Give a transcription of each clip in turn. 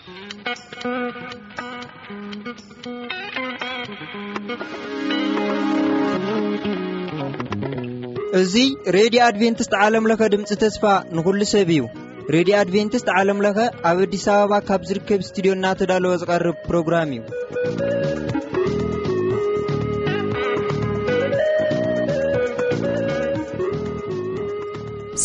እዚ ሬድዮ ኣድቬንቲስት ዓለም ለኸ ድምፂ ተስፋ ንኹሉ ሰብ እዩ። ሬድዮ ኣድቬንቲስት ዓለም ለኸ ኣብ ኣዲስ ኣበባ ካብ ዝርከብ ስቱዲዮ እናተዳለወ ዝቐርብ ፕሮግራም እዩ።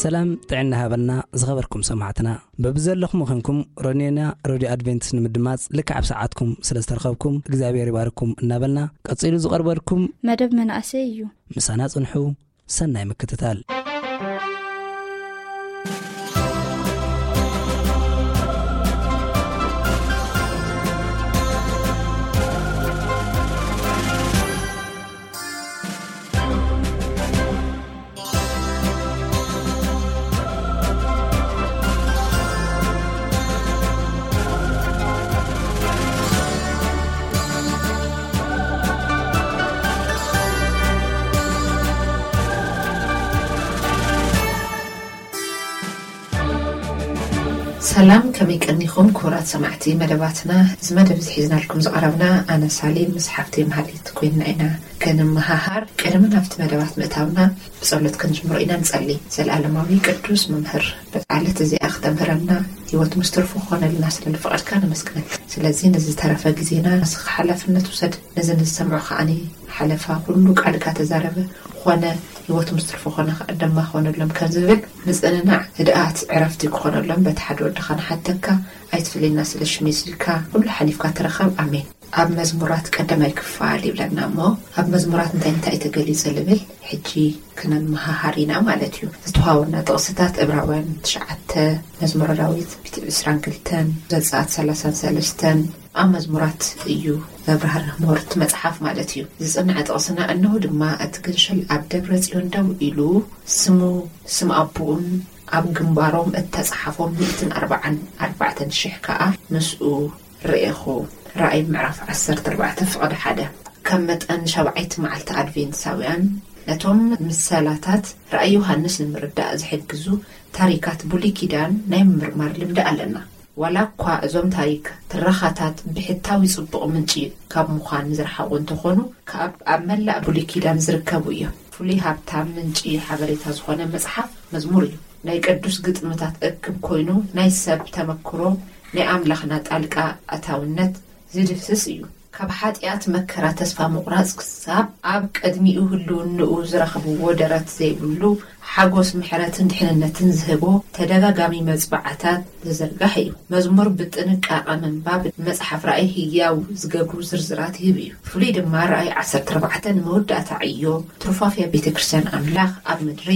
ሰላም ጥዕና ሃበልና ዝኸበርኩም ሰማዕትና። በብዘለኹም ኾንኩም ሮኔና ሬድዮ ኣድቬንቲስት ንምድማጽ ልክዕ ኣብ ሰዓትኩም ስለ ዝተረኸብኩም እግዚኣብሔር ይባርኩም እናበልና፣ ቀጺሉ ዝቐርበልኩም መደብ መናእሰይ እዩ። ምሳና ጽንሑ። ሰናይ ምክትታል። ሰላም፣ ከመይ ቀኒኹም ክቡራት ሰማዕቲ መደባትና? እዚ መደብ እዚ ሒዝናልኩም ዝቐረብና ኣነ ሳሌም ምስ ሓፍተይ መሃሌት ኮይንና ኢና ክንመሃሃር። ቅድሚ ናብቲ መደባት ምእታውና ብጸሎት ክንጅምሮ ኢና። ንጸሊ። ዘለኣለማዊ ቅዱስ መምህር፣ በዛ ዕለት እዚኣ ክተምህረና ህይወት ምስ ትርፉ ክኾነልና ስለ ዝፈቐድካ ነመስግነካ። ስለዚ ነዚ ዝተረፈ ግዜና ንስኻ ሓላፍነት ውሰድ። ነዚ ንዝሰምዑ ከዓኒ ሓለፋ ኩሉ ቃልካ ተዛረበ፣ ኮነ፣ ህይወት ምስ ትርፉ ኮነ ከኣ ደማ ኮነሎም ከም ዝብል ምጽንናዕ ህድኣት ዕረፍቲ ክኾነሎም በቲ ሓደ ወድኻ ንሓተካ። ኣይትፍለየና ስለ ሽመይ ስልካ ኩሉ ሓሊፍካ ተረኸብ። ኣሜን። ኣብ መዝሙራት ቀዳማይ ክፋል ይብለና እሞ፣ ኣብ መዝሙራት እንታይ እንታይ እዩ ተገሊጹ ዝብል ሕጂ ክነመሃሃር ኢና ማለት እዩ። ዝተዋሃቡና ጥቕስታት እብራውያን ትሽዓተ፣ መዝሙረ ዳዊት ሚእቲ ዕስራን ክልተን፣ ዘጸኣት ሰላሳን ሰለስተን ኣብ መዝሙራት እዩ ዘብራህርህ ምህርቲ መጽሓፍ ማለት እዩ። ዝጽንዐ ጥቕስና እነሆ ድማ እቲ ግንሽል ኣብ ደብረ ጽዮን ደው ኢሉ ስሙ ስም ኣቦኡን ኣብ ግንባሮም እተጻሓፎም ሚእትን ኣርባዓን ኣርባዕተን ሽሕ ከኣ ምስኡ ርኤኹ። ራእይ ምዕራፍ ዓሰርተ ኣርባዕተ ፍቕዲ ሓደ። ከም መጠን ሻብዓይቲ መዓልቲ ኣድቬንትሳውያን ነቶም ምሰላታት ራእይ ዮሃንስ ንምርዳእ ዝሕግዙ ታሪካት ብሉይ ኪዳን ናይ ምምርማር ልምዲ ኣለና። ዋላ እኳ እዞም ታሪክ ትረኻታት ብሕታዊ ጽቡቕ ምንጪ ካብ ምዃን ዝረሓቑ እንተኾኑ፣ ካብ ኣብ መላእ ብሉይ ኪዳን ዝርከቡ እዮም። ፍሉይ ሃብታም ምንጪ ሓበሬታ ዝኾነ መጽሓፍ መዝሙር እዩ። ናይ ቅዱስ ግጥምታት እክብ ኮይኑ፣ ናይ ሰብ ተመክሮ፣ ናይ ኣምላኽና ጣልቃ ኣታውነት ዝድህስስ እዩ። ካብ ሓጢኣት መከራ ተስፋ ምቑራጽ ክሳብ ኣብ ቅድሚኡ ህልውንኡ ዝረኽብዎ ደረት ዘይብሉ ሓጎስ ምሕረትን ድሕንነትን ዝህቦ ተደጋጋሚ መጽብዓታት ዝዝርጋሕ እዩ። መዝሙር ብጥንቃቐ ምንባብ ንመጽሓፍ ራእይ ህያው ዝገብሩ ዝርዝራት ይህብ እዩ። ፍሉይ ድማ ራእይ ዓሰርተ ኣርባዕተ ንመወዳእታ ዕዮ ትሩፋፍያ ቤተ ክርስቲያን ኣምላኽ ኣብ ምድሪ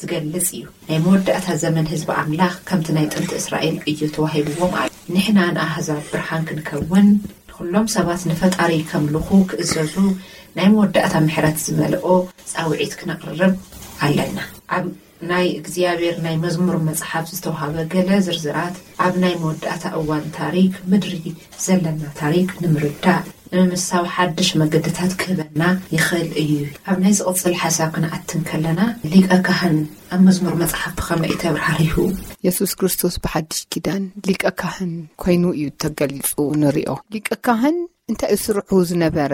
ዝገልጽ እዩ። ናይ መወዳእታ ዘመን ህዝቢ ኣምላኽ ከምቲ ናይ ጥንቲ እስራኤል ዕዮ ተዋሂብዎም ኣሎ። ንሕና ንኣህዛብ ብርሃን ክንከውን፣ ንኹሎም ሰባት ንፈጣሪ ከምልኹ ክእዘዙ ናይ መወዳእታ ምሕረት ዝመልኦ ጻውዒት ክነቕርብ ኣለና። ኣብ ናይ እግዚኣብሔር ናይ መዝሙር መጽሓፍ ዝተዋህበ ገለ ዝርዝራት፣ ኣብ ናይ መወዳእታ እዋን ታሪክ ምድሪ ዘለና ታሪክ ንምርዳእ፣ ንምምሳው ሓድሽ መገድታት ክህበና ይኽእል እዩ። ኣብ ናይ ዝቕጽል ሓሳብ ክንኣቲ እንከለና፣ ሊቀ ካህን ኣብ መዝሙር መጽሓፍ ብኸመይ እዩ ተብራህሪሁ? የሱስ ክርስቶስ ብሓድሽ ኪዳን ሊቀ ካህን ኮይኑ እዩ ተገሊጹ ንሪኦ። ሊቀ ካህን እንታይ እዩ ስርሑ ዝነበረ?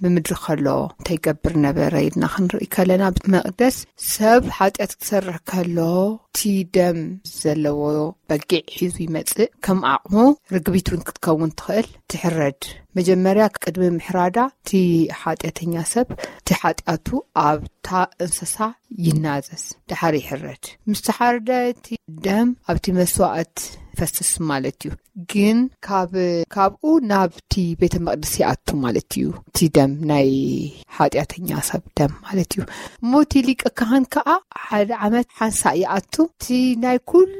ብምድሪ ከሎ እንታይ ይገብር ነበረ ኢልና ክንርኢ ከለና፣ ኣብ መቕደስ ሰብ ሓጢኣት ክሰርሕ ከሎ፣ እቲ ደም ዘለዎ በጊዕ ሒዙ ይመጽእ። ከም ዓቕሙ ርግቢት እውን ክትከውን ትኽእል፣ ትሕረድ። መጀመርያ ቅድሚ ምሕራዳ እቲ ሓጢኣተኛ ሰብ እቲ ሓጢኣቱ ኣብታ እንስሳ ይናዘዝ፣ ደሓር ይሕረድ። ምስ ተሓረደ እቲ ደም ኣብቲ መስዋእት ይፈስስ ማለት እዩ። ግን ካብ፣ ካብኡ ናብቲ ቤተ መቕደስ ይኣቱ ማለት እዩ። እቲ ደም፣ ናይ ሓጢኣተኛ ሰብ ደም ማለት እዩ። እሞ እቲ ሊቀ ካህን ከኣ ሓደ ዓመት ሓንሳእ ይኣቱ፣ እቲ ናይ ኩሉ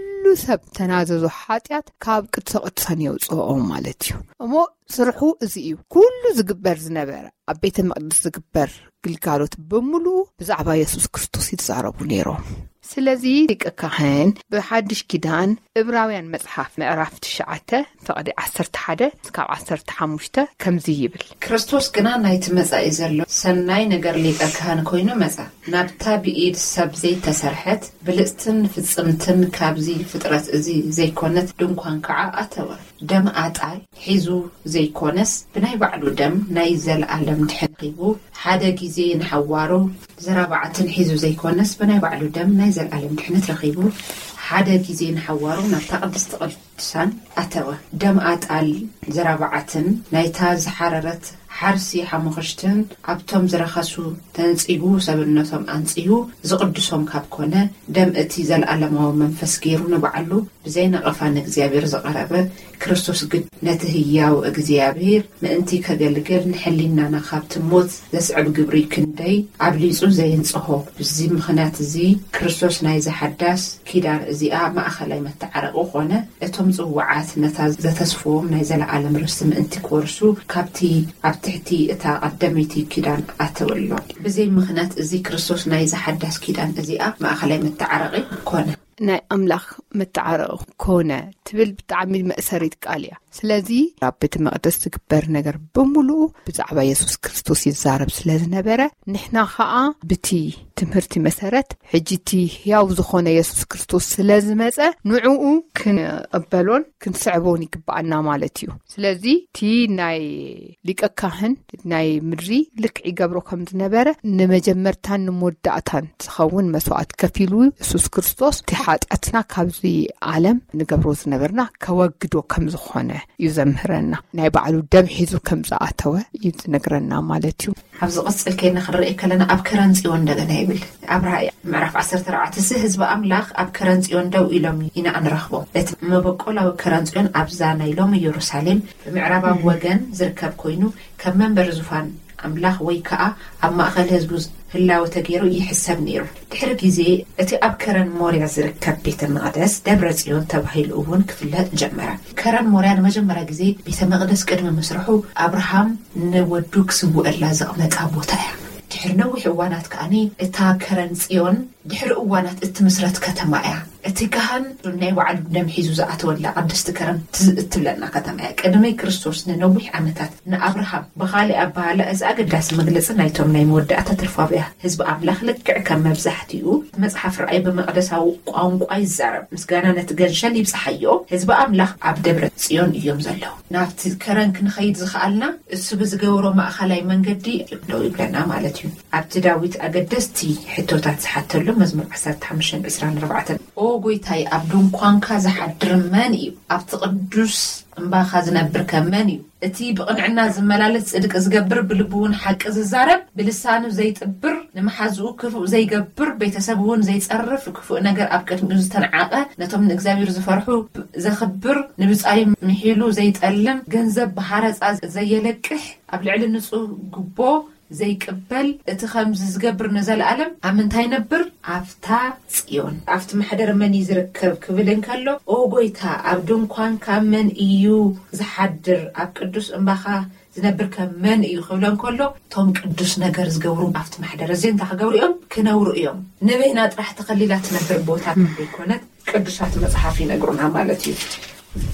ሰብ ተናዘዞ ሓጢኣት ካብ ቅድሰ ቅዱሳን የውፅኦ ማለት እዩ። እሞ ስርሑ እዚ እዩ። ኩሉ ዝግበር ዝነበረ፣ ኣብ ቤተ መቕደስ ዝግበር ግልጋሎት ብምሉኡ ብዛዕባ የሱስ ክርስቶስ ይዛረቡ ነይሮም። ስለዚ ሊቀ ካህን ብሓድሽ ኪዳን እብራውያን መጽሓፍ ምዕራፍ ትሽዓተ ፍቕዲ ዓሰርተ ሓደ እስካብ ዓሰርተ ሓሙሽተ ከምዚ ይብል። ክርስቶስ ግና ናይቲ መጻኢ ዘሎ ሰናይ ነገር ሊቀ ካህን ኮይኑ መጻ። ናብታ ብኢድ ሰብ ዘይተሰርሐት ብልጽትን ፍጽምትን ካብዚ ፍጥረት እዚ ዘይኮነት ድንኳን ከዓ ኣተወ። ደም ኣጣል ሒዙ ዘይኮነስ ብናይ ባዕሉ ደም ናይ ዘለኣለም ድሕን ሂቡ ሓደ ግዜ ንሓዋሩ ዘራባዕትን ሒዙ ዘይኮነስ ብናይ ባዕሉ ደም ናይ ዘለኣለም ድሕነት ረኺቡ ሓደ ግዜ ንሓዋሩ ናብታ ቅድስቲ ቅዱሳን ኣተወ። ደም ኣጣል ዘራባዕትን ናይታ ዝሓረረት ሓርሲ ሓሙኽሽትን ኣብቶም ዝረኸሱ ተንጺጉ ሰብነቶም ኣንጽዩ ዝቕድሶም ካብ ኮነ ደም እቲ ዘለኣለማዊ መንፈስ ገይሩ ንባዕሉ ብዘይ ነቐፋ ንእግዚኣብሔር ዝቐረበ ክርስቶስ ግን ነቲ ህያው እግዚኣብሔር ምእንቲ ከገልግል ንሕሊናና ካብቲ ሞት ዘስዕብ ግብሪ ክንደይ ኣብሊጹ ዘየንጽሆ። ብዚ ምኽንያት እዚ ክርስቶስ ናይዚ ሓዳስ ኪዳን እዚኣ ማእኸላይ መተዓረቂ ኮነ። እቶም ጽውዓት ነታ ዘተስፍዎም ናይ ዘለኣለም ርስቲ ምእንቲ ክወርሱ ካብቲ ኣብ ትሕቲ እታ ቀደመይቲ ኪዳን ኣተወሎም። ብዘይ ምኽንያት እዚ ክርስቶስ ናይዚ ሓዳስ ኪዳን እዚኣ ማእኸላይ መተዓረቂ ኮነ። ናይ ኣምላኽ መተዓረቂ ኮነ ትብል ብጣዕሚ መእሰሪት ቃል እያ። ስለዚ ኣብ ቤተ መቕደስ ዝግበር ነገር ብምሉኡ ብዛዕባ የሱስ ክርስቶስ ይዛረብ ስለ ዝነበረ ንሕና ኸኣ ብቲ ትምህርቲ መሰረት ሕጂ እቲ ህያው ዝኾነ የሱስ ክርስቶስ ስለ ዝመጸ ንዕኡ ክንቕበሎን ክንስዕቦን ይግብኣና ማለት እዩ። ስለዚ እቲ ናይ ሊቀ ካህን ናይ ምድሪ ልክዕ ይገብሮ ከም ዝነበረ ንመጀመርታን ንመወዳእታን ዝኸውን መስዋእት ከፊሉ የሱስ ክርስቶስ እቲ ሓጢኣትና ካብዚ ዓለም ንገብሮ ዝነበርና ከወግዶ ከም ዝኾነ እዩ ዘምህረና። ናይ ባዕሉ ደም ሒዙ ከም ዝኣተወ እዩ ዝነግረና ማለት እዩ። ኣብ ዝቕጽል ከይና ክንርኢ ከለና ኣብ ከረን ጽዮን እንደገና ይብል። ኣብ ራእይ ምዕራፍ ዓሰርተ ኣርባዕተ እዚ ህዝቢ ኣምላኽ ኣብ ከረን ጽዮን ደው ኢሎም ኢና እንረኽቦ። እቲ መበቆላዊ ከረን ጽዮን ኣብዛ ናይ ሎሚ ኢየሩሳሌም ብምዕራባዊ ወገን ዝርከብ ኮይኑ ከም መንበሪ ዙፋን ኣምላኽ ወይ ከኣ ኣብ ማእኸል ህዝቡ ህላወ ተገይሩ ይሕሰብ ነይሩ። ድሕሪ ግዜ እቲ ኣብ ከረን ሞርያ ዝርከብ ቤተ መቕደስ ደብረ ጽዮን ተባሂሉ እውን ክፍለጥ ጀመረ። ከረን ሞርያ ንመጀመርያ ግዜ ቤተ መቕደስ ቅድሚ ምስርሑ ኣብርሃም ንወዱ ክስውአላ ዘቕመጣ ቦታ እያ። ድሕሪ ነዊሕ እዋናት ከኣኒ እታ ከረን ጽዮን ድሕሪ እዋናት እትምስረት ከተማ እያ። እቲ ካህን ናይ ባዕሉ ደም ሒዙ ዝኣተወላ ቅድስቲ ከረን ትዝ እትብለና ከተማ እያ። ቅድሚ ክርስቶስ ንነዊሕ ዓመታት ንኣብርሃም ብኻሊእ ኣበሃላ እዚ ኣገዳሲ መግለጺ ናይቶም ናይ መወዳእታ ትርፋብያ ህዝቢ ኣምላኽ ልክዕ ከም መብዛሕትኡ መጽሓፍ ራእይ ብመቕደሳዊ ቋንቋ ይዛረብ። ምስጋና ነቲ ገንሸል ይብጽሓዮ። ህዝቢ ኣምላኽ ኣብ ደብረ ጽዮን እዮም ዘለዉ። ናብቲ ከረን ክንኸይድ ዝኸኣልና እሱ ብዝገበሮ ማእኸላይ መንገዲ ደው ይብለና ማለት እዩ። ኣብቲ ዳዊት ኣገደስቲ ሕቶታት ዝሓተሉ መዝሙር ዓሰርተ ሓሙሽተ ዕስራን ኣርባዕተን ኦ ጎይታይ ኣብ ድንኳንካ ዝሓድር መን እዩ? ኣብቲ ቅዱስ እምባኻ ዝነብር ከ መን እዩ? እቲ ብቕንዕና ዝመላለስ ጽድቂ ዝገብር ብልቡ እውን ሓቂ ዝዛረብ ብልሳኑ ዘይጥብር ንመሓዝኡ ክፉእ ዘይገብር ቤተሰብ እውን ዘይጸርፍ ክፉእ ነገር ኣብ ቅድሚኡ ዝተንዓቐ ነቶም ንእግዚኣብሔር ዝፈርሑ ዘኽብር ንብጻዩ ምሒሉ ዘይጠልም ገንዘብ ብሃረጻ ዘየለቅሕ ኣብ ልዕሊ ንጹህ ጉቦ ዘይቅበል እቲ ኸምዚ ዝገብር ንዘለኣለም ኣብ ምንታይ ይነብር? ኣብታ ጽዮን። ኣብቲ ማሕደር መን እዩ ዝርከብ ክብል እንከሎ፣ ኦ ጐይታ፣ ኣብ ድንኳንካ መን እዩ ዝሓድር? ኣብ ቅዱስ እምባኻ ዝነብር ከ መን እዩ ክብሎ እንከሎ፣ እቶም ቅዱስ ነገር ዝገብሩ ኣብቲ ማሕደር እዚ እንታይ ክገብሩ እዮም? ክነብሩ እዮም። ንበይና ጥራሕ ተኸሊላ ትነብር ቦታ ዘይኮነት፣ ቅዱሳት መጽሓፍ ይነግሩና ማለት እዩ።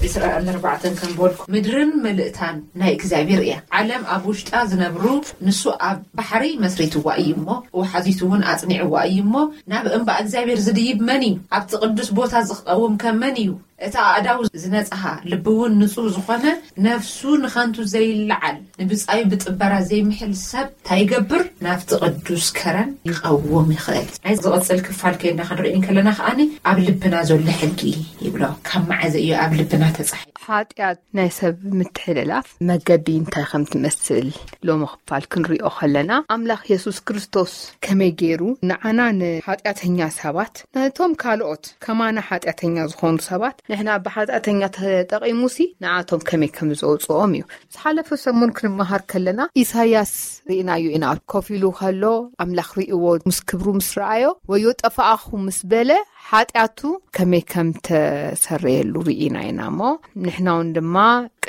እስራኤል ኣርባዕተን ከም በልኩ ምድርን ምልእታን ናይ እግዚኣብሔር እያ። ዓለም ኣብ ውሽጣ ዝነብሩ ንሱ ኣብ ባሕሪ መስሪትዋ እዩ እሞ ወሓዚቱ እውን ኣጽኒዕዋ እዩ እሞ ናብ እምባ እግዚኣብሔር ዝድይብ መን እዩ? ኣብቲ ቅዱስ ቦታ ዝቐውም ከ መን እዩ? እቲ ኣእዳው ዝነጽሃ ልቢ እውን ንጹህ ዝኾነ ነፍሱ ንኸንቱ ዘይለዓል ንብጻዩ ብጥበራ ዘይምሕል ሰብ እንታይ ይገብር? ናብቲ ቅዱስ ከረን ይቐውም ይኽእል። ናይ ዝቕጽል ክፋል ከይድና ክንርኢ እንከለና ከኣኒ ኣብ ልብና ዘሎ ሕጊ ይብሎ። ካብ መዓዘ እዩ ኣብ ልብና ተጻሒፉ? ሓጢኣት ናይ ሰብ ምትሕልላፍ መገዲ እንታይ ከም ትመስል ሎሚ ክፋል ክንሪኦ ከለና ኣምላኽ የሱስ ክርስቶስ ከመይ ገይሩ ንዓና ንሓጢኣተኛ ሰባት ነቶም ካልኦት ከማና ሓጢኣተኛ ዝኾኑ ሰባት ንሕና ብሓጢኣተኛ ተጠቒሙሲ ንዓቶም ከመይ ከም ዘውፅኦም እዩ። ዝሓለፈ ሰሙን ክንመሃር ከለና ኢሳያስ ርኢናዮ ኢና። ኮፍ ኢሉ ከሎ ኣምላኽ ርእዎ ምስ ክብሩ ምስ ረኣዮ ወዮ ጠፋኣኹ ምስ በለ ሓጢኣቱ ከመይ ከም ተሰረየሉ ርኢና ኢና እሞ ንሕና እውን ድማ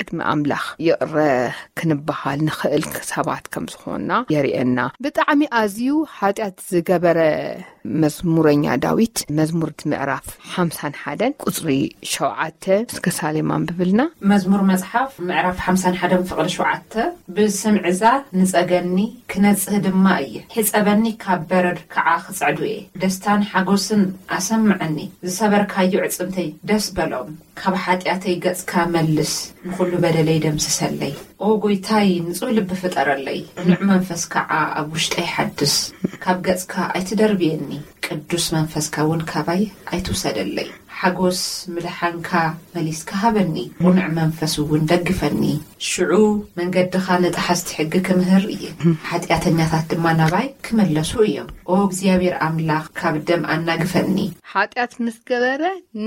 ቅድሚ ኣምላኽ ይቕረ ክንበሃል ንኽእል ሰባት ከም ዝኾንና የርእየና። ብጣዕሚ ኣዝዩ ሓጢኣት ዝገበረ መዝሙረኛ ዳዊት መዝሙር ምዕራፍ ሓምሳን ሓደን ቁጽሪ ሸውዓተ እስከ ሳሌም ኣንብብልና። መዝሙር መጽሓፍ ምዕራፍ ሓምሳን ሓደን ፍቕሪ ሸውዓተ። ብስምዕዛ ንጸገኒ፣ ክነጽህ ድማ እየ። ሕጸበኒ፣ ካብ በረድ ከዓ ክጸዕዱ እየ። ደስታን ሓጎስን ኣሰምዐኒ። ዝሰበርካዮ ዕጽምተይ ደስ በሎም። ካብ ሓጢኣተይ ገጽካ መልስ፣ ንኹሉ በደለይ ደምስሰለይ። ኦ ጎይታይ፣ ንጹህ ልቢ ፍጠረለይ፣ ቅኑዕ መንፈስ ከዓ ኣብ ውሽጠይ ሓድስ። ካብ ገጽካ ኣይትደርብየኒ፣ ቅዱስ መንፈስካ እውን ካባይ ኣይትውሰደለይ። ሓጎስ ምድሓንካ መሊስካ ሃበኒ፣ ቅኑዕ መንፈስ እውን ደግፈኒ። ሽዑ መንገድኻ ንጠሓስቲ ሕጊ ክምህር እየ፣ ሓጢኣተኛታት ድማ ናባይ ክመለሱ እዮም። ኦ እግዚኣብሔር ኣምላኽ፣ ካብ ደም ኣናግፈኒ። ሓጢኣት ምስ ገበረ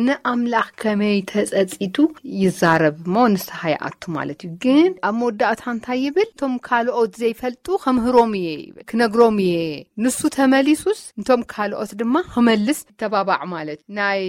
ንኣምላኽ ከመይ ተጸጺቱ ይዛረብ እሞ ንስሓ ይኣቱ ማለት እዩ። ግን ኣብ መወዳእታ እንታይ ይብል? እቶም ካልኦት ዘይፈልጡ ከምህሮም እየ ይብል፣ ክነግሮም እየ። ንሱ ተመሊሱስ፣ እንቶም ካልኦት ድማ ክመልስ ይተባባዕ ማለት። ናይ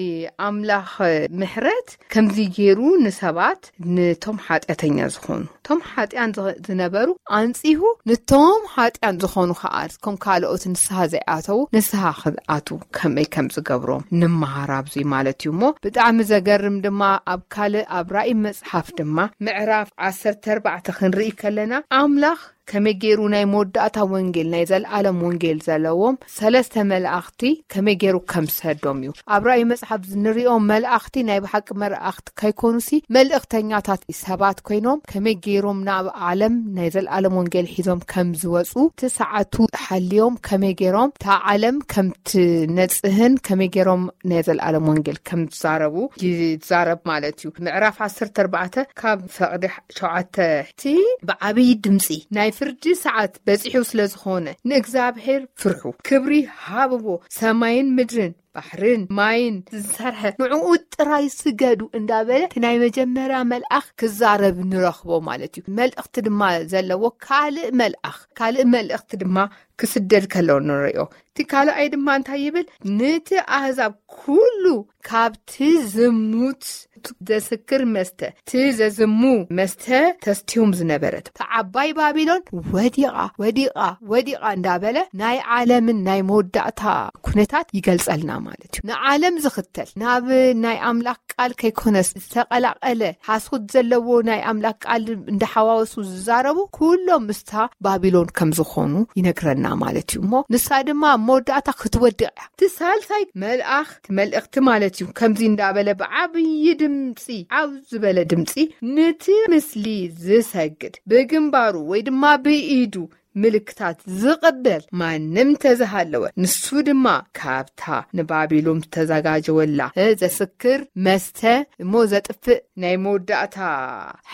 ኣምላኽ ምሕረት ከምዚ ገይሩ ንሰባት፣ ንቶም ሓጢኣተኛ ዝኾኑ፣ ቶም ሓጢኣን ዝኸ-፣ ዝነበሩ ኣንጺሁ፣ ንቶም ሓጢኣን ዝኾኑ ከኣ፣ ከም ካልኦት ንስሓ ዘይኣተዉ፣ ንስሓ ክኣቱ ከመይ ከም ዝገብሮም ንምሃር ኣብዚ ማለት እዩ። እሞ ብጣዕሚ ዘገርም ድማ፣ ኣብ ካልእ፣ ኣብ ራእይ መጽሓፍ ድማ ምዕራፍ ዓሰርተ ኣርባዕተ ክንርኢ ከለና፣ ኣምላኽ ከመይ ገይሩ ናይ መወዳእታ ወንጌል፣ ናይ ዘለኣለም ወንጌል ዘለዎም ሰለስተ መላእኽቲ ከመይ ገይሩ ከም ዝሰዶም እዩ። ኣብ ራእይ መጽሓፍ ንሪኦም መላእኽቲ ናይ ብሓቂ መላእኽቲ ከይኮኑሲ፣ መልእኽተኛታት ሰባት ኮይኖም፣ ከመይ ገይሮም ናብ ዓለም ናይ ዘለኣለም ወንጌል ሒዞም ከም ዝወጹ፣ እቲ ሰዓቱ ሓልዮም ከመይ ገይሮም እታ ዓለም ከም ትነጽህን ከመይ ገይሮም ናይ ዘለኣለም ወንጌል ከም ዝዛረቡ ይዛረብ ማለት እዩ። ምዕራፍ ዓሰርተ ኣርባዕተ ካብ ፍቕዲ ሸውዓተ፣ እቲ ብዓብዪ ድምፂ ናይ ፍርዲ ሰዓት በፂሑ ስለ ዝኾነ፣ ንእግዚኣብሔር ፍርሑ፣ ክብሪ ሃብዎ፣ ሰማይን ምድርን፣ ባሕርን ማይን ዝሰርሐ፣ ንዕኡ ጥራይ ስገዱ እንዳበለ፣ እቲ ናይ መጀመርያ መልኣኽ ክዛረብ ንረኽቦ ማለት እዩ። መልእኽቲ ድማ ዘለዎ ካልእ መልኣኽ፣ ካልእ መልእኽቲ ድማ ክስደድ ከሎ ንርእዮ። እቲ ካልኣይ ድማ እንታይ ይብል? ነቲ ኣህዛብ ኩሉ ካብቲ ዝሙት ዘስክር መስተ፣ እቲ ዘዝሙ መስተ ተስትዮም ዝነበረት፣ እታ ዓባይ ባቢሎን ወዲቓ፣ ወዲቓ፣ ወዲቓ እንዳበለ ናይ ዓለምን ናይ መወዳእታ ኩነታት ይገልጸልና ማለት እዩ። ንዓለም ዝኽተል፣ ናብ ናይ ኣምላኽ ቃል ከይኮነስ ዝተቐላቐለ፣ ሓሶት ዘለዎ ናይ ኣምላኽ ቃል እንዳሓዋወሱ ዝዛረቡ፣ ኩሎም ምስታ ባቢሎን ከም ዝኾኑ ይነግረና ማለት እዩ። እሞ ንሳ ድማ ኣብ መወዳእታ ክትወድቕ እያ። እቲ ሳልሳይ መልኣኽ፣ እቲ መልእኽቲ ማለት እዩ፣ ከምዚ እንዳበለ ብዓብዪ ድምፂ፣ ዓው ዝበለ ድምፂ፣ ነቲ ምስሊ ዝሰግድ፣ ብግንባሩ ወይ ድማ ብኢዱ ምልክታት ዝቕበል ማንም ተዝሃለወ፣ ንሱ ድማ ካብታ ንባቢሎን ዝተዘጋጀወላ ዘስክር መስተ እሞ ዘጥፍእ ናይ መወዳእታ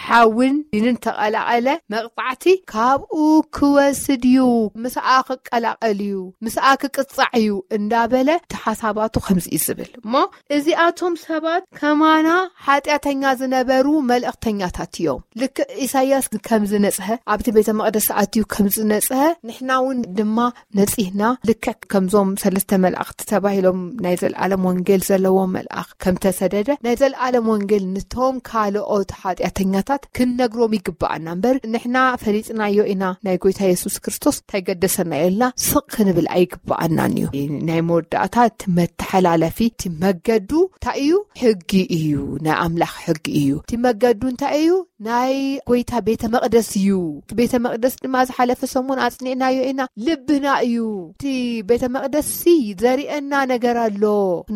ሓውን ዲንን ተቐላቐለ መቕጻዕቲ ካብኡ ክወስድ እዩ። ምስኣ ክቀላቐል እዩ፣ ምስኣ ክቅጻዕ እዩ እንዳበለ፣ እቲ ሓሳባቱ ከምዚ እዩ ዝብል። እሞ እዚኣቶም ሰባት ከማና ሓጢኣተኛ ዝነበሩ መልእኽተኛታት እዮም። ልክዕ ኢሳይያስ ከም ዝነጽሀ፣ ኣብቲ ቤተ መቕደስ ኣትዩ ከም ዝነጽሀ፣ ንሕና እውን ድማ ነጺህና፣ ልክዕ ከምዞም ሰለስተ መላእኽቲ ተባሂሎም ናይ ዘለኣለም ወንጌል ዘለዎ መልኣኽ ከም ተሰደደ፣ ናይ ዘለኣለም ወንጌል ንቶም ካልኦት ሓጢኣተኛታት ክንነግሮም ይግብኣና እምበር፣ ንሕና ፈሊጥናዮ ኢና፣ ናይ ጎይታ የሱስ ክርስቶስ እንታይ ገደሰና ኢልና ስቕ ክንብል ኣይግብኣናን እዩ። ናይ መወዳእታ እቲ መተሓላለፊ፣ እቲ መገዱ እንታይ እዩ? ሕጊ እዩ፣ ናይ ኣምላኽ ሕጊ እዩ። እቲ መገዱ እንታይ እዩ? ናይ ጎይታ ቤተ መቕደስ እዩ። እቲ ቤተ መቕደስ ድማ ዝሓለፈ ሰሙን ኣጽኒዕናዮ ኢና። ልብና እዩ። እቲ ቤተ መቕደስ ሲ ዘርእየና ነገር ኣሎ።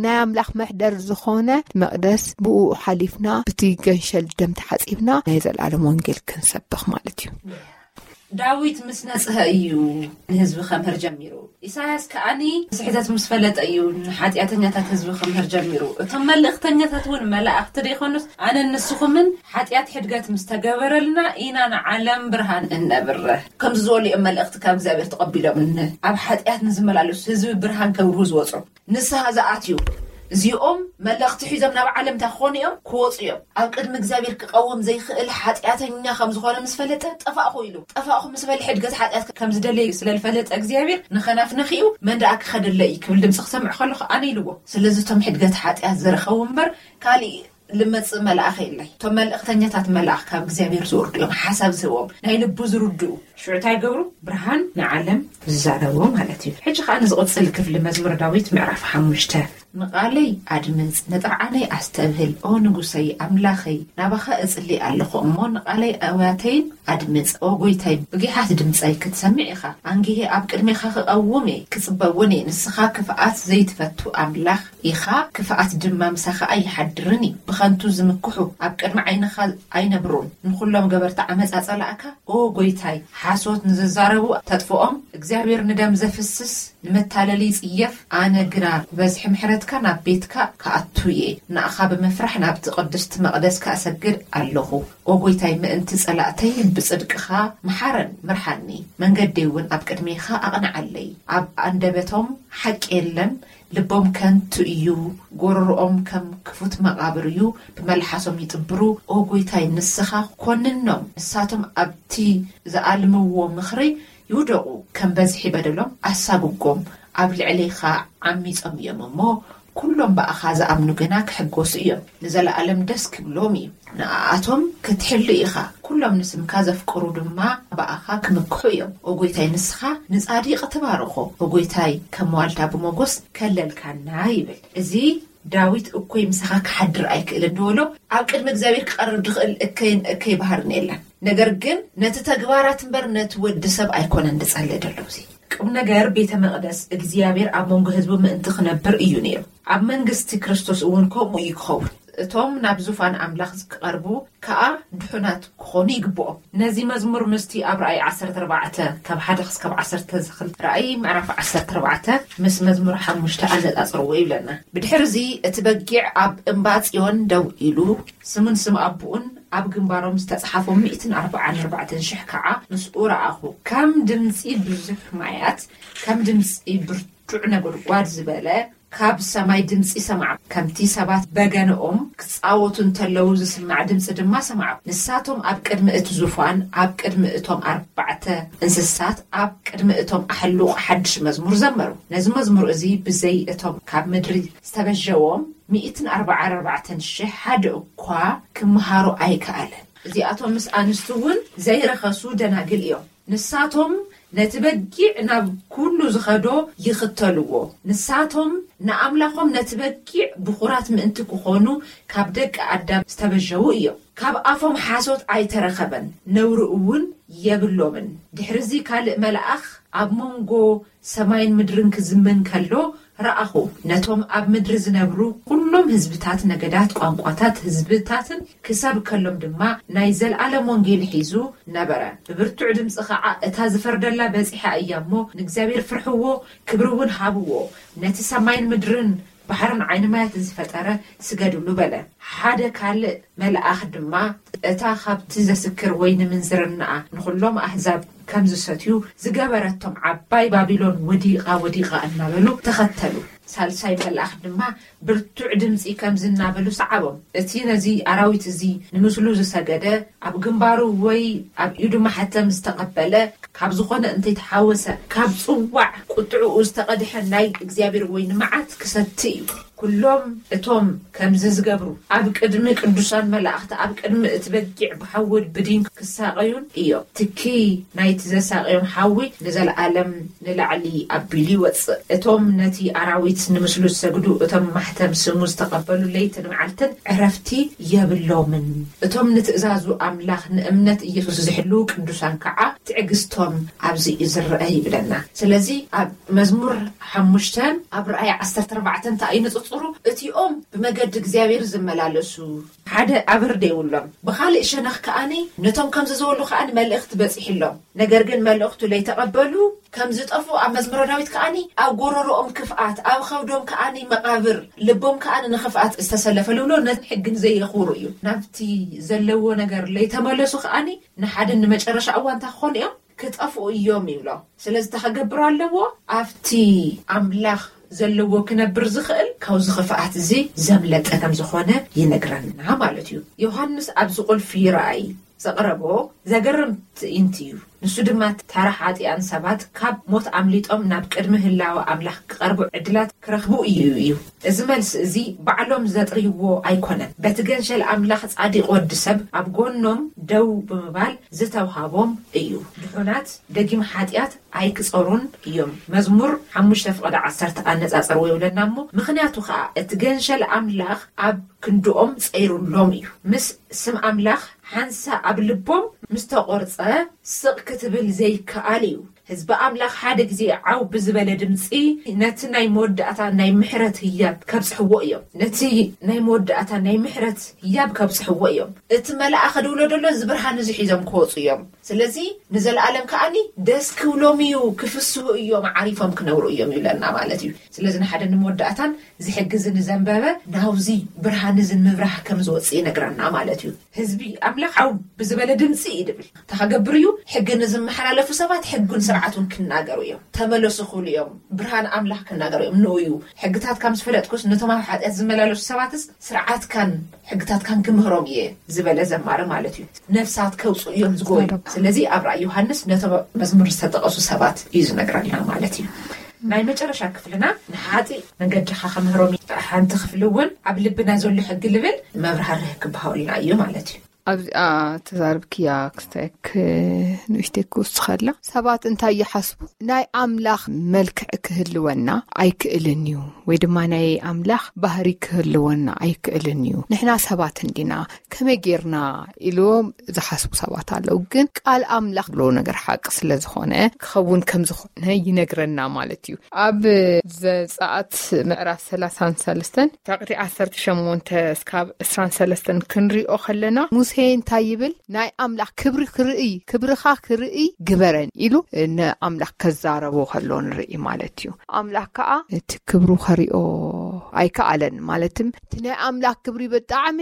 ናይ ኣምላኽ መሕደር ዝኾነ መቕደስ ብኡ ሓሊፍና፣ ብቲ ገንሸል ደም ተሓጺብና ናይ ዘለኣለም ወንጌል ክንሰብኽ ማለት እዩ። ዳዊት ምስ ነጽሀ እዩ ንህዝቢ ከምህር ጀሚሩ። ኢሳያስ ከኣኒ ስሕተት ምስ ፈለጠ እዩ ንሓጢኣተኛታት ህዝቢ ከምህር ጀሚሩ። እቶም መልእኽተኛታት እውን መላእኽቲ ደይኮኑስ፣ ኣነን ንስኹምን ሓጢኣት ሕድገት ምስ ተገበረልና ኢና ንዓለም ብርሃን እነብርህ። ከምዚ ዝበሉ እዮም መልእኽቲ ካብ እግዚኣብሔር ተቐቢሎም፣ ን-፣ ኣብ ሓጢኣት ንዝመላለሱ ህዝቢ ብርሃን ከብርሁ ዝወጹ። ንስሓ ዝኣትዩ እዚኦም መለኽቲ ሒዞም ናብ ዓለም እንታይ ክኾኑ እዮም? ክወፁ እዮም። ኣብ ቅድሚ እግዚኣብሔር ክቐውም ዘይኽእል ሓጢኣተኛ ከም ዝኾነ ምስ ፈለጠ፣ "ጠፋእኹ" ኢሉ። "ጠፋእኹ" ምስ በለ፣ ሕድገት ሓጢኣት ከም ዝደለየ ስለ ዝፈለጠ እግዚኣብሔር፣ "ንኸናፍነኺ እዩ፣ መን ደኣ ክኸደለይ?" ክብል ድምፂ ክሰምዕ ከለኹ ኣነ ኢልዎ። ስለዚ እቶም ሕድገት ሓጢኣት ዝረኸቡ እምበር፣ ካሊእ ልመጽእ መልኣኽ የለይ። እቶም መልእኽተኛታት መልኣኽ ካብ እግዚኣብሔር ዝወርዱ እዮም፣ ሓሳብ ዝህቦም፣ ናይ ልቡ ዝርድኡ። ሽዑ እንታይ ይገብሩ? ብርሃን ንዓለም ዝዛረቦ ማለት እዩ። ሕጂ ከኣ ንዝቕጽል ክፍሊ መዝሙር ዳዊት ምዕራፍ ሓሙሽተ። ንቓለይ ኣድምጽ፣ ንጥርዓነይ ኣስተብህል፣ ኦ ንጉሰይ ኣምላኸይ፣ ናባኻ እጽሊ ኣለኹ እሞ፣ ንቓለይ ኣውያተይን ኣድምጽ። ኦ ጎይታይ፣ ብጊሓት ድምጸይ ክትሰምዕ ኢኻ። ኣንጊሄ ኣብ ቅድሜኻ ክቐውም እየ፣ ክጽበ እውን እየ። ንስኻ ክፍኣት ዘይትፈቱ ኣምላኽ ኢኻ፣ ክፍኣት ድማ ምሳኻ ኣይሓድርን እዩ። ብኸንቱ ዝምክሑ ኣብ ቅድሚ ዓይንኻ ኣይነብሩን። ንኹሎም ገበርቲ ዓመጻ ጸላእካ፣ ኦ ጎይታይ፣ ሓሶት ንዝዛረቡ ተጥፍኦም። እግዚኣብሔር ንደም ዘፍስስ ንመታለሊ ይጽየፍ። ኣነ ግና ብበዝሒ ምሕረትካ ናብ ቤትካ ክኣቱ እየ። ንኣኻ ብምፍራሕ ናብቲ ቅድስቲ መቕደስካ እሰግድ ኣለኹ። ኦ ጎይታይ፣ ምእንቲ ጸላእተይ ብጽድቅኻ ምሓረን ምርሓኒ። መንገደይ እውን ኣብ ቅድሜኻ ኣቕንዓለይ። ኣብ ኣንደበቶም ሓቂ የለን፣ ልቦም ከንቱ እዩ፣ ጎረሮኦም ከም ክፉት መቓብር እዩ፣ ብመልሓሶም ይጥብሩ። ኦ ጎይታይ፣ ንስኻ ኮንኖም፣ ንሳቶም ኣብቲ ዝኣልምዎ ምኽሪ ይውደቑ። ከም በዝሒ በደሎም ኣሳጉጎም፣ ኣብ ልዕሌኻ ዓሚጾም እዮም እሞ፣ ኩሎም ብኣኻ ዝኣምኑ ግና ክሕጎሱ እዮም፣ ንዘለኣለም ደስ ክብሎም እዩ። ንኣኣቶም ክትሕሉ ኢኻ፣ ኩሎም ንስምካ ዘፍቅሩ ድማ ብኣኻ ክምክሑ እዮም። ኦ ጎይታይ፣ ንስኻ ንጻዲቕ ትባርኾ። ኦ ጎይታይ፣ ከም ዋልታ ብሞጎስ ከለልካና ይብል። እዚ ዳዊት እኮይ ምሳኻ ክሓድር ኣይክእልን ድበሎ፣ ኣብ ቅድሚ እግዚኣብሔር ክቐርብ ድኽእል እከይን እከይ ባህርን የለን። ነገር ግን ነቲ ተግባራት እምበር ነቲ ወዲ ሰብ ኣይኮነን ድጸልእ ደሎ። እዚ ቁም ነገር ቤተ መቕደስ እግዚኣብሔር ኣብ መንጎ ህዝቡ ምእንቲ ክነብር እዩ ነይሩ። ኣብ መንግስቲ ክርስቶስ እውን ከምኡ እዩ ክኸውን። እቶም ናብ ዙፋን ኣምላኽ ክቐርቡ ከኣ ድሑናት ክኾኑ ይግብኦም። ነዚ መዝሙር ምስቲ ኣብ ራእይ ዓሰርተ ኣርባዕተ ካብ ሓደ ክስካብ ዓሰርተ ዝኽል ራእይ ምዕራፍ ዓሰርተ ኣርባዕተ ምስ መዝሙር ሓሙሽተ ኣነጻጽርዎ ይብለና። ብድሕርዚ እቲ በጊዕ ኣብ እምባ ጽዮን ደው ኢሉ ስሙን ስም ኣቦኡን ኣብ ግንባሮም ዝተጽሓፎም ሚእትን ኣርባዓን ኣርባዕተን ሽሕ ከዓ ምስኡ ረኣኹ። ከም ድምጺ ብዙሕ ማያት፣ ከም ድምጺ ብርቱዕ ነጎድጓድ ዝበለ ካብ ሰማይ ድምጺ ሰማዕ። ከምቲ ሰባት በገንኦም ክጻወቱ እንተለዉ ዝስማዕ ድምጺ ድማ ሰማዕ። ንሳቶም ኣብ ቅድሚ እቲ ዙፋን፣ ኣብ ቅድሚ እቶም ኣርባዕተ እንስሳት፣ ኣብ ቅድሚ እቶም ኣሕሉቕ ሓድሽ መዝሙር ዘመሩ። ነዚ መዝሙር እዚ ብዘይ እቶም ካብ ምድሪ ዝተበጀዎም ሚእትን ኣርባዓን ኣርባዕተን ሽሕ ሓደ እኳ ክምሃሩ ኣይከኣለን። እዚኣቶም ምስ ኣንስቲ እውን ዘይረኸሱ ደናግል እዮም። ንሳቶም ነቲ በጊዕ ናብ ኩሉ ዝኸዶ ይኽተልዎ። ንሳቶም ንኣምላኾም ነቲ በጊዕ ብኹራት ምእንቲ ክኾኑ ካብ ደቂ ኣዳም ዝተበጀዉ እዮም። ካብ ኣፎም ሓሶት ኣይተረኸበን፣ ነውሪ እውን የብሎምን። ድሕርዚ ካልእ መልኣኽ ኣብ መንጎ ሰማይን ምድርን ክዝምን ከሎ ረኣኹ። ነቶም ኣብ ምድሪ ዝነብሩ ኩሎም ህዝብታት፣ ነገዳት፣ ቋንቋታት፣ ህዝብታትን ክሰብከሎም ድማ ናይ ዘለኣለም ወንጌል ሒዙ ነበረ። ብብርቱዕ ድምፂ ኸዓ፣ እታ ዝፈርደላ በፂሓ እያ እሞ፣ ንእግዚኣብሔር ፍርሕዎ፣ ክብሪ እውን ሃብዎ። ነቲ ሰማይን ምድርን ባሕርን ዓይኒ ማያትን ዝፈጠረ ስገድሉ በለ። ሓደ ካልእ መልኣኽ ድማ፣ እታ ካብቲ ዘስክር ወይኒ ምንዝርናኣ ንኹሎም ኣህዛብ ከም ዝሰትዩ ዝገበረቶም ዓባይ ባቢሎን ወዲቓ፣ ወዲቓ እናበሉ ተኸተሉ። ሳልሳይ መልኣኽ ድማ ብርቱዕ ድምፂ ከምዚ እናበሉ ሰዓቦም፣ እቲ ነዚ ኣራዊት እዚ ንምስሉ ዝሰገደ፣ ኣብ ግንባሩ ወይ ኣብ ኢዱ ማሕተም ዝተቐበለ፣ ካብ ዝኾነ እንተይተሓወሰ፣ ካብ ጽዋዕ ቁጥዕኡ ዝተቐድሐ ናይ እግዚኣብሔር ወይኒ መዓት ክሰቲ እዩ። ኩሎም እቶም ከምዚ ዝገብሩ ኣብ ቅድሚ ቅዱሳን መላእኽቲ፣ ኣብ ቅድሚ እቲ በጊዕ ብሓዊ ብዲን ክሳቐዩን እዮም። ትኪ ናይቲ ዘሳቐዮም ሓዊ ንዘለኣለም ንላዕሊ ኣቢሉ ይወጽእ። እቶም ነቲ ኣራዊት ንምስሉ ዝሰግዱ፣ እቶም ማሕተም ስሙ ዝተቐበሉ ለይትን መዓልትን ዕረፍቲ የብሎምን። እቶም ንትእዛዙ ኣምላኽ ንእምነት ኢየሱስ ዝሕልዉ ቅዱሳን ከዓ ትዕግስቶም ኣብዚ እዩ ዝረአ ይብለና። ስለዚ ኣብ መዝሙር ሓሙሽተን ኣብ ራእይ ዓሰርተ ኣርባዕተ እንታይ እዩ ንጽጽሩ? እቲኦም ብመገዲ እግዚኣብሔር ዝመላለሱ ሓደ ኣብርድ የብሎም። ብኻልእ ሸነኽ ከኣኒ ነቶም ከምዚ ዝበሉ ከኣኒ መልእኽቲ በጺሕሎም። ነገር ግን መልእኽቱ ለይተቐበሉ ከም ዝጠፍኡ ኣብ መዝሙረ ዳዊት ከኣኒ ኣብ ጎረሮኦም ክፍኣት፣ ኣብ ኸብዶም ከኣኒ መቓብር፣ ልቦም ከኣኒ ንኽፍኣት ዝተሰለፈ ልብሎ ነቲ ሕግን ዘየኽብሩ እዩ። ናብቲ ዘለዎ ነገር ለይተመለሱ ከኣኒ ንሓደ ንመጨረሻ እዋን እንታይ ክኾኑ እዮም? ክጠፍኡ እዮም ይብሎ። ስለዚ እንታይ ክገብር ኣለዎ? ኣብቲ ኣምላኽ ዘለዎ ክነብር ዝኽእል ካብዚ ክፍኣት እዚ ዘምለጠ ከም ዝኾነ ይነግረና ማለት እዩ። ዮሃንስ ኣብዚ ቁልፊ ራእይ ዘቕረቦ ዘገርም ትእይንት እዩ። ንሱ ድማ ተራ ሓጢኣን ሰባት ካብ ሞት ኣምሊጦም ናብ ቅድሚ ህላወ ኣምላኽ ክቐርቡ ዕድላት ክረኽቡ እዩ እዩ። እዚ መልሲ እዚ ባዕሎም ዘጥርይዎ ኣይኮነን። በቲ ገንሸል ኣምላኽ ጻዲቕ ወዲ ሰብ ኣብ ጎኖም ደው ብምባል ዝተውሃቦም እዩ። ድሑናት ደጊም ሓጢኣት ኣይክጸሩን እዮም። መዝሙር ሓሙሽተ ፍቐደ ዓሰርተ ኣነጻጸርዎ ይብለና እሞ፣ ምኽንያቱ ኸኣ እቲ ገንሸል ኣምላኽ ኣብ ክንድኦም ጸይሩሎም እዩ። ምስ ስም ኣምላኽ ሓንሳ ኣብ ልቦም ምስ ተቖርጸ ስቕ ክትብል ዘይከኣል እዩ። ህዝቢ ኣምላኽ ሓደ ግዜ ዓው ብዝበለ ድምጺ ነቲ ናይ መወዳእታ ናይ ምሕረት ህያብ ከብጽሕዎ እዮም። ነቲ ናይ መወዳእታ ናይ ምሕረት ህያብ ከብጽሕዎ እዮም። እቲ መልኣኽ ድውሎ ደሎ እዚ ብርሃን እዚ ሒዞም ክወጹ እዮም። ስለዚ ንዘለኣለም ከኣኒ ደስ ክብሎም እዩ፣ ክፍስሁ እዮም፣ ዓሪፎም ክነብሩ እዮም ይብለና ማለት እዩ። ስለዚ ንሓደ ንመወዳእታን እዚ ሕጊ እዚ ንዘንበበ ናውዚ ብርሃን እዚ ንምብራህ ከም ዝወጽእ ይነግረና ማለት እዩ። ህዝቢ ኣምላኽ ዓው ብዝበለ ድምፂ እዩ ድብል። እንታይ ከገብር እዩ? ሕጊ ንዝመሓላለፉ ሰባት ሕጉን ስርዓቱን ክናገሩ እዮም። ተመለሱ ክብሉ እዮም። ብርሃን ኣምላኽ ክናገሩ እዮም። ንኡ እዩ። ሕግታት ከም ዝፈለጥኩስ ነቶም ኣብ ሓጢኣት ዝመላለሱ ሰባትስ ስርዓትካን ሕግታትካን ክምህሮም እየ ዝበለ ዘማሪ ማለት እዩ። ነፍሳት ከውፅኡ እዮም ዝጎዩ። ስለዚ ኣብ ራእይ ዮሃንስ ነቶም መዝሙር ዝተጠቐሱ ሰባት እዩ ዝነግረና ማለት እዩ። ናይ መጨረሻ ክፍልና ንሓጢ መንገድኻ ከምህሮም እዩ። ሓንቲ ክፍሊ እውን ኣብ ልብና ዘሎ ሕጊ ልብል መብራህርህ ክበሃወልና እዩ ማለት እዩ። ኣብዚኣ ተዛርብክያ ክስተክ ንእሽተይ ክውስኸላ ሰባት እንታይ ይሓስቡ? ናይ ኣምላኽ መልክዕ ክህልወና ኣይክእልን እዩ፣ ወይ ድማ ናይ ኣምላኽ ባህሪ ክህልወና ኣይክእልን እዩ። ንሕና ሰባት እንዲና፣ ከመይ ጌርና ኢልዎም ዝሓስቡ ሰባት ኣለዉ። ግን ቃል ኣምላኽ ብሎ ነገር ሓቂ ስለ ዝኾነ ክኸውን ከም ዝኾነ ይነግረና ማለት እዩ። ኣብ ዘጸኣት ምዕራፍ ሰላሳን ሰለስተን ፍቕዲ ዓሰርተ ሸሞንተ እስካብ ዕስራን ሰለስተን ክንሪኦ ከለና፣ ሙሴ እንታይ ይብል? ናይ ኣምላኽ ክብሪ ክርእይ፣ ክብርኻ ክርእይ ግበረን ኢሉ ንኣምላኽ ከዛረቦ ከሎ ንርኢ ማለት እዩ። ኣምላኽ ከኣ እቲ ክብሩ ከሪኦ ኣይከኣለን። ማለትም እቲ ናይ ኣምላኽ ክብሪ ብጣዕሚ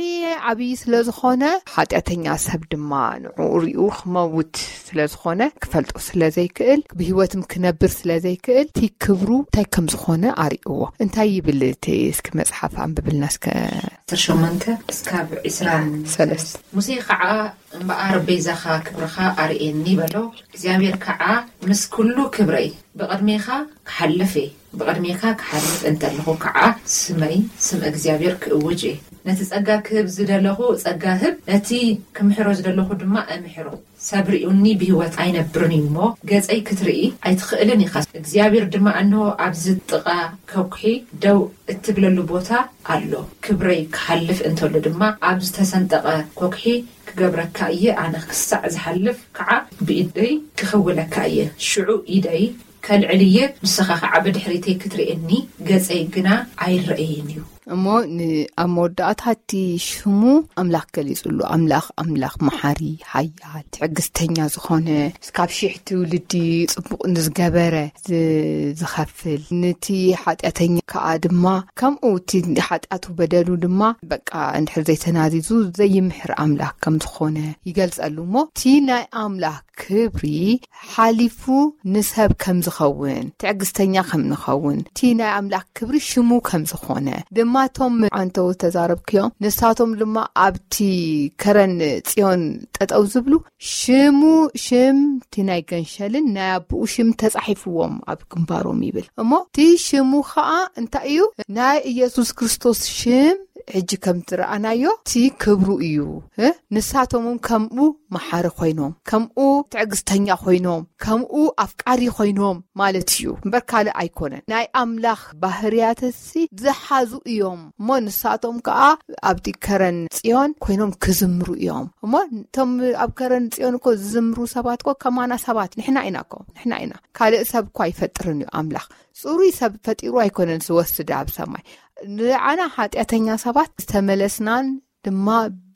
ዓብዪ ስለ ዝኾነ፣ ሓጢኣተኛ ሰብ ድማ ንዕኡ ሪኡ ክመውት ስለ ዝኾነ፣ ክፈልጦ ስለ ዘይክእል፣ ብህይወትም ክነብር ስለ ዘይክእል፣ እቲ ክብሩ እንታይ ከም ዝኾነ ኣርእዎ። እንታይ ይብል እቲ እስኪ መጽሓፍ ኣንብብልና እስከ። ዓሰርተ ሸሞንተ እስካብ ዕስራን ሰለስተ። ሙሴ ከዓ እምበኣር ቤዛኻ ክብርኻ ኣርእየኒ በሎ። እግዚኣብሔር ከዓ ምስ ኩሉ ክብረይ ብቕድሜኻ ክሓልፍ እየ። ብቕድሜኻ ክሓልፍ እንተለኹ ከዓ ስመይ ስም እግዚኣብሔር ክእውጅ እየ። ነቲ ጸጋ ክህብ ዝደለኹ ጸጋ ህብ፣ ነቲ ክምሕሮ ዝደለኹ ድማ እምሕሮ። ሰብ ሪኡኒ ብህይወት ኣይነብርን እዩ እሞ፣ ገጸይ ክትርኢ ኣይትኽእልን ኢኻ። እግዚኣብሔር ድማ፣ እንሆ፣ ኣብዚ ጥቓ ከኩሒ ደው እትብለሉ ቦታ ኣሎ። ክብረይ ክሓልፍ እንተሎ ድማ፣ ኣብ ዝተሰንጠቐ ኮክሒ ክገብረካ እየ። ኣነ ክሳዕ ዝሓልፍ ከዓ ብኢደይ ክኽውለካ እየ። ሽዑ ኢደይ ከልዕል እየ፣ ንስኻ ከዓ ብድሕሪተይ ክትርእየኒ፣ ገጸይ ግና ኣይረኣይን እዩ። እሞ ን-፣ ኣብ መወዳእታ እቲ ሽሙ ኣምላኽ ገሊጹሉ። ኣምላኽ፣ ኣምላኽ መሓሪ፣ ሓያል፣ ትዕግስተኛ ዝኾነ፣ እስካብ ሺሕ ትውልዲ ጽቡቕ ንዝገበረ ዝ-፣ ዝኸፍል፣ ነቲ ሓጢኣተኛ ከኣ ድማ ከምኡ እቲ ሓጢኣቱ በደሉ ድማ በቃ እንድሕር ዘይተናዚዙ ዘይምሕር ኣምላኽ ከም ዝኾነ ይገልጸሉ። እሞ እቲ ናይ ኣምላኽ ክብሪ ሓሊፉ ንሰብ ከም ዝኸውን፣ ትዕግስተኛ ከም ንኸውን፣ እቲ ናይ ኣምላኽ ክብሪ ሽሙ ከም ዝኾነ ድማ እቶም ዓንተው ተዛረብክዮም። ንሳቶም ድማ ኣብቲ ከረን ጽዮን ጠጠው ዝብሉ ሽሙ፣ ሽም እቲ ናይ ገንሸልን ናይ ኣቦኡ ሽም ተጻሒፍዎም ኣብ ግንባሮም ይብል። እሞ እቲ ሽሙ ኸኣ እንታይ እዩ? ናይ ኢየሱስ ክርስቶስ ሽም ሕጂ ከም ዝረኣናዮ እቲ ክብሩ እዩ። እ? ንሳቶም እውን ከምኡ መሓሪ ኮይኖም፣ ከምኡ ትዕግስተኛ ኮይኖም፣ ከምኡ ኣፍቃሪ ኮይኖም ማለት እዩ። እምበር ካልእ ኣይኮነን። ናይ ኣምላኽ ባህርያትሲ ዝሓዙ እዮም። እሞ ንሳቶም ከኣ ኣብቲ ከረን ጽዮን ኮይኖም ክዝምሩ እዮም። እሞ እቶም ኣብ ከረን ጽዮን እኮ ዝዝምሩ ሰባት እኮ ከማና ሰባት ንሕና ኢና እኮ፣ ንሕና ኢና። ካልእ ሰብ እኮ ኣይፈጥርን እዩ ኣምላኽ። ጽሩይ ሰብ ፈጢሩ ኣይኮነን ዝወስድ ኣብ ሰማይ። ንዓና ሓጢኣተኛ ሰባት ዝተመለስናን ድማ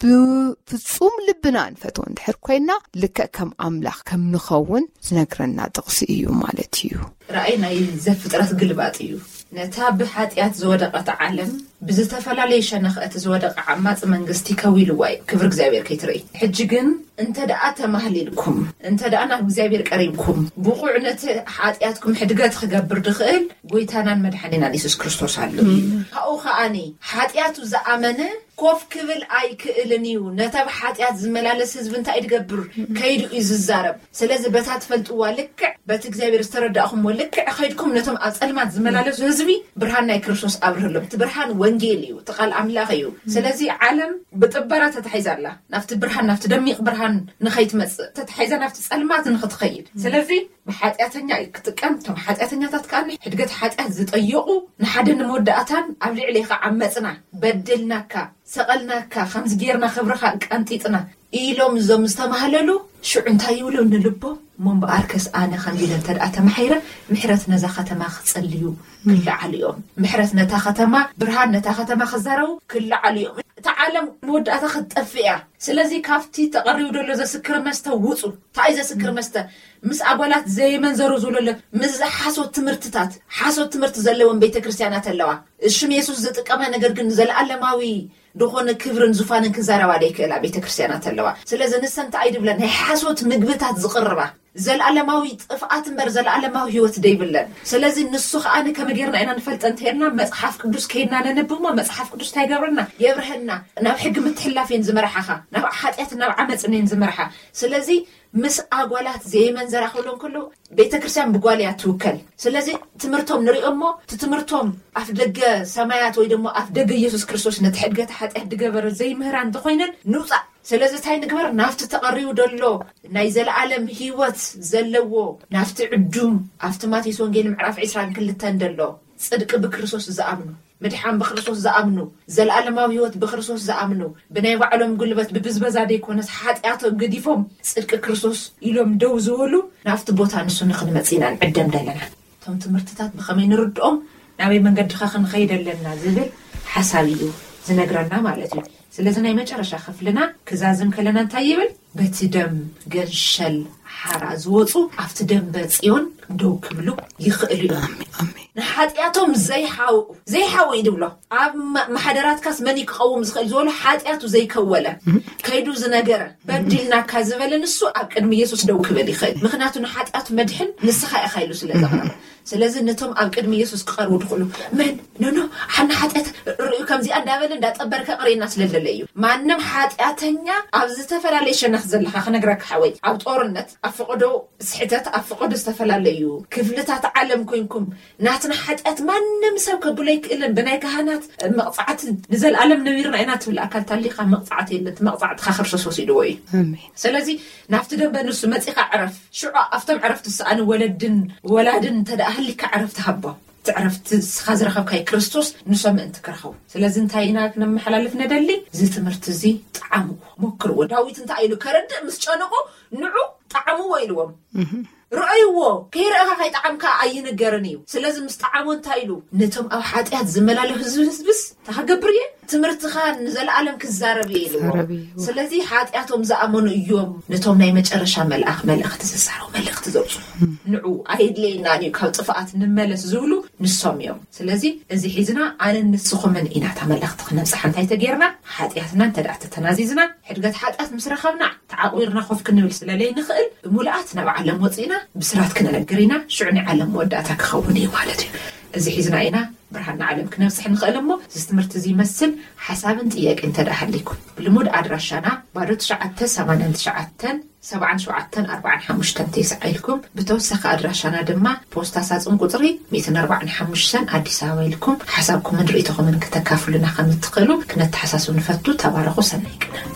ብፍጹም ልብና ንፈትዎ እንድሕር ኮይና፣ ልክዕ ከም ኣምላኽ ከም ንኸውን ዝነግረና ጥቕሲ እዩ ማለት እዩ። ራእይ ናይ ዘፍጥረት ግልባጥ እዩ። ነታ ብሓጢኣት ዝወደቐት ዓለም ብዝተፈላለየ ሸነኽ እቲ ዝወደቐ ዓማጺ መንግስቲ ከዊልዋ እዩ። ክብሪ እግዚኣብሔር ከይትርኢ። ሕጂ ግን እንተ ደኣ ተማህሊልኩም፣ እንተ ደኣ ናብ እግዚኣብሔር ቀሪብኩም፣ ብቑዕ ነቲ ሓጢኣትኩም ሕድገት ክገብር ድኽእል ጎይታናን መድሓኒናን የሱስ ክርስቶስ ኣሎ እዩ። ካብኡ ከኣኒ ሓጢኣቱ ዝኣመነ ኮፍ ክብል ኣይክእልን እዩ። ነታ ብሓጢኣት ዝመላለስ ህዝቢ እንታይ ድገብር? ከይዱ እዩ ዝዛረብ። ስለዚ በታ ትፈልጥዋ ልክዕ፣ በቲ እግዚኣብሔር ዝተረዳእኹምዎ ልክዕ ከይድኩም ነቶም ኣብ ጸልማት ዝመላለሱ ህዝቢ ብርሃን ናይ ክርስቶስ ኣብርህሎም። እቲ ብርሃን ወንጌል እዩ፣ እቲ ቃል ኣምላኽ እዩ። ስለዚ ዓለም ብጥበራ ተታሒዛ ኣላ። ናብቲ ብርሃን፣ ናብቲ ደሚቕ ብርሃን ንኸይትመጽእ ተታሒዛ ናብቲ ጸልማት ንኽትኸይድ። ስለዚ ብሓጢኣተኛ እዩ ክጥቀም። እቶም ሓጢኣተኛታት ከኣ ሕድገት ሓጢኣት ዝጠየቑ ንሓደ ንመወዳእታን ኣብ ልዕሌኻ ዓመጽና፣ በድልናካ፣ ሰቐልናካ፣ ከምዚ ጌርና ክብርኻ ቀንጢጥና ኢሎም እዞም ዝተማህለሉ ሽዑ እንታይ ይብሉ ንልቦ? እሞ እምበኣርከስ ኣነ ከምዚ ኢለ እንተ ደኣ ተማሒረ ምሕረት ነዛ ከተማ ክጸልዩ ክለዓሉ እዮም። ምሕረት ነታ ከተማ፣ ብርሃን ነታ ከተማ ክዛረቡ ክለዓሉ እዮም። እታ ዓለም መወዳእታ ክትጠፍእ እያ። ስለዚ ካብቲ ተቐሪቡ ዘሎ ዘስክር መስተ ውጹ። እንታይ ዘስክር መስተ? ምስ ኣጓላት ዘየመንዘሩ ዝብሎ ኣሎ። ምስ ሓሶት ትምህርትታት፣ ሓሶት ትምህርቲ ዘለዎም ቤተ ክርስቲያናት ኣለዋ። ሽም የሱስ ዝጥቀማ ነገር ግን ዘለኣለማዊ ዝኾነ ክብርን ዙፋንን ክዛረባ ደይክእላ ቤተ ክርስቲያናት ኣለዋ። ስለዚ ንሰን እንታይ ድብለን? ናይ ሓሶት ምግብታት ዝቕርባ፣ ዘለኣለማዊ ጥፍኣት እምበር ዘለኣለማዊ ህይወት ደይብለን። ስለዚ ንሱ ከኣ ከመይ ጌርና ኢና ንፈልጠ እንተሄድና፣ መጽሓፍ ቅዱስ ከይድና ነንብሞ፣ መጽሓፍ ቅዱስ እንታይ ይገብረና? የብርሀና። ናብ ሕጊ ምትሕላፍ እየን ዝመርሓኻ፣ ናብ ሓጢኣት ናብ ዓመፅን እየን ዝመርሓ። ስለዚ ምስ ኣጓላት ዘየመንዘራ ክብሎ እንከሎ ቤተ ክርስቲያን ብጓል እያ ትውከል። ስለዚ ትምህርቶም ንሪኦ እሞ እቲ ትምህርቶም ኣፍ ደገ ሰማያት ወይ ደሞ ኣፍ ደገ ኢየሱስ ክርስቶስ ነቲ ሕድገት ሓጢኣት ድገበረ ዘይምህራ እንተኾይነን ንውፃእ። ስለዚ እንታይ ንግበር? ናብቲ ተቐሪቡ ደሎ ናይ ዘለኣለም ህይወት ዘለዎ ናብቲ ዕዱም ኣብቲ ማቴዎስ ወንጌል ምዕራፍ ዕስራን ክልተን ደሎ ጽድቂ ብክርስቶስ ዝኣምኑ፣ ምድሓን ብክርስቶስ ዝኣምኑ፣ ዘለኣለማዊ ህይወት ብክርስቶስ ዝኣምኑ፣ ብናይ ባዕሎም ጉልበት ብብዝበዛ ደይኮነስ ሓጢኣቶም ገዲፎም ጽድቂ ክርስቶስ ኢሎም ደው ዝበሉ ናብቲ ቦታ ንሱ ንክንመጽእ ኢና ንዕደም ደለና። እቶም ትምህርትታት ብኸመይ ንርድኦም፣ ናበይ መንገድኻ ክንኸይድ ኣለና ዝብል ሓሳብ እዩ ዝነግረና ማለት እዩ። ስለዚ ናይ መጨረሻ ክፍልና ክዛዝም ከለና እንታይ ይብል? በቲ ደም ገንሸል ሓራ ዝወፁ ኣብቲ ደንበ ጽዮን ደው ክብሉ ይኽእሉ እዮም። ንሓጢኣቶም ዘይሓውኡ ዘይሓውኡ እዩ ድብሎ። ኣብ መ- ማሕደራትካስ መን እዩ ክቐውም ዝኽእል ዝበሉ ሓጢኣቱ ዘይከወለ ከይዱ ዝነገረ በዲልናካ ዝበለ ንሱ ኣብ ቅድሚ ኢየሱስ ደው ክብል ይኽእል። ምክንያቱ ንሓጢኣቱ መድሕን ንስኻ ኢኻ ኢሉ ስለ ዘቕረበ። ስለዚ ነቶም ኣብ ቅድሚ ኢየሱስ ክቐርቡ ድኽእሉ መን ኖኖ ሓና ሓጢኣት ርእዩ ከምዚኣ እንዳበለ እንዳጠበረ ከቕርየና ስለ ዝደለ እዩ። ማንም ሓጢኣተኛ ኣብ ዝተፈላለየ ሸነኽ ዘለኻ ክነግረካ ሓወይ፣ ኣብ ጦርነት፣ ኣብ ፈቐዶ ስሕተት፣ ኣብ ፈቐዶ ዝተፈላለዩ ክፍልታት ዓለም ኮይንኩም ናትና ሓጢኣት ማንም ሰብ ከብሎ ኣይክእልን። ብናይ ካህናት መቕጻዕቲ ንዘለኣለም ነቢርና ኢና ትብል ኣካል ታሊኻ መቕጻዕቲ የለን። እቲ መቕጻዕትኻ ክርስቶስ ወሲድዎ እዩ። ኣሜን። ስለዚ ናብቲ ደንበ ንሱ መጺኻ ዕረፍ። ሽዑ ኣብቶም ዕረፍቲ ዝሰኣኑ ወለድን ወላድን እንተ ደኣ ሃሊካ ዕረፍቲ ሃቦም። እቲ ዕረፍቲ ንስኻ ዝረኸብካዮ ክርስቶስ ንሶም ምእንቲ ክረኸቡ። ስለዚ እንታይ ኢና ክነመሓላልፍ ነደሊ? እዚ ትምህርቲ እዚ ጠዓምዎ፣ ሞክርዎ። ዳዊት እንታይ ኢሉ ከረድእ ምስ ጨነቆ ንዑ ጠዓምዎ ኢልዎም። ርኣይዎ፣ ከይረኣኻ ከይጠዓምካ ኣይንገርን እዩ። ስለዚ ምስ ጠዓሞ እንታይ ኢሉ? ነቶም ኣብ ሓጢኣት ዝመላለሱ ህዝብስ እንታይ ክገብር እየ? ትምህርትኻ ንዘለኣለም ክዛረብ እየ ኢልዎ። ክዛረብ እየ። ስለዚ ሓጢኣቶም ዝኣመኑ እዮም ነቶም ናይ መጨረሻ መልኣኽ መልእኽቲ ዝዛረቡ መልእኽቲ ዘብፅሑ። ንዑ ኣየድለየናን እዩ ካብ ጥፍኣት ንመለስ ዝብሉ ንሶም እዮም። ስለዚ እዚ ሒዝና ኣነን ንስኹምን ኢና እታ መልእኽቲ ክነብፅሓ እንታይ ተጌርና ሓጢኣትና እንተ ደኣ ተተናዚዝና ሕድገት ሓጢኣት ምስ ረኸብና ተዓቑርና ኮፍ ክንብል ስለለይ ንኽእል ብምሉኣት ናብ ዓለም ወፂእና ብስራት ክነነግር ኢና። ሽዑ ናይ ዓለም መወዳእታ ክኸውን እዩ ማለት እዩ። እዚ ሒዝና ኢና ብርሃን ንዓለም ክነብፅሕ ንኽእል እሞ እዚ ትምህርቲ እዚ ይመስል ሓሳብን ጥያቄ እንተ ደኣ ሃሊኩም ብልሙድ ኣድራሻና ባዶ ትሽዓተ ሰማንያን ትሽዓተን ሰብዓን ሸውዓተን ኣርባዓን ሓሙሽተን ተስዓ ኢልኩም ብተወሳኺ ኣድራሻና ድማ ፖስታ ሳፅን ቁፅሪ ሚእትን ኣርባዓን ሓሙሽተን ኣዲስ ኣበባ ኢልኩም ሓሳብኩምን ርእይቶኹምን ክተካፍሉና ከም እትኽእሉ ክነተሓሳስብ ንፈቱ። ተባረኹ። ሰናይ ቅነ።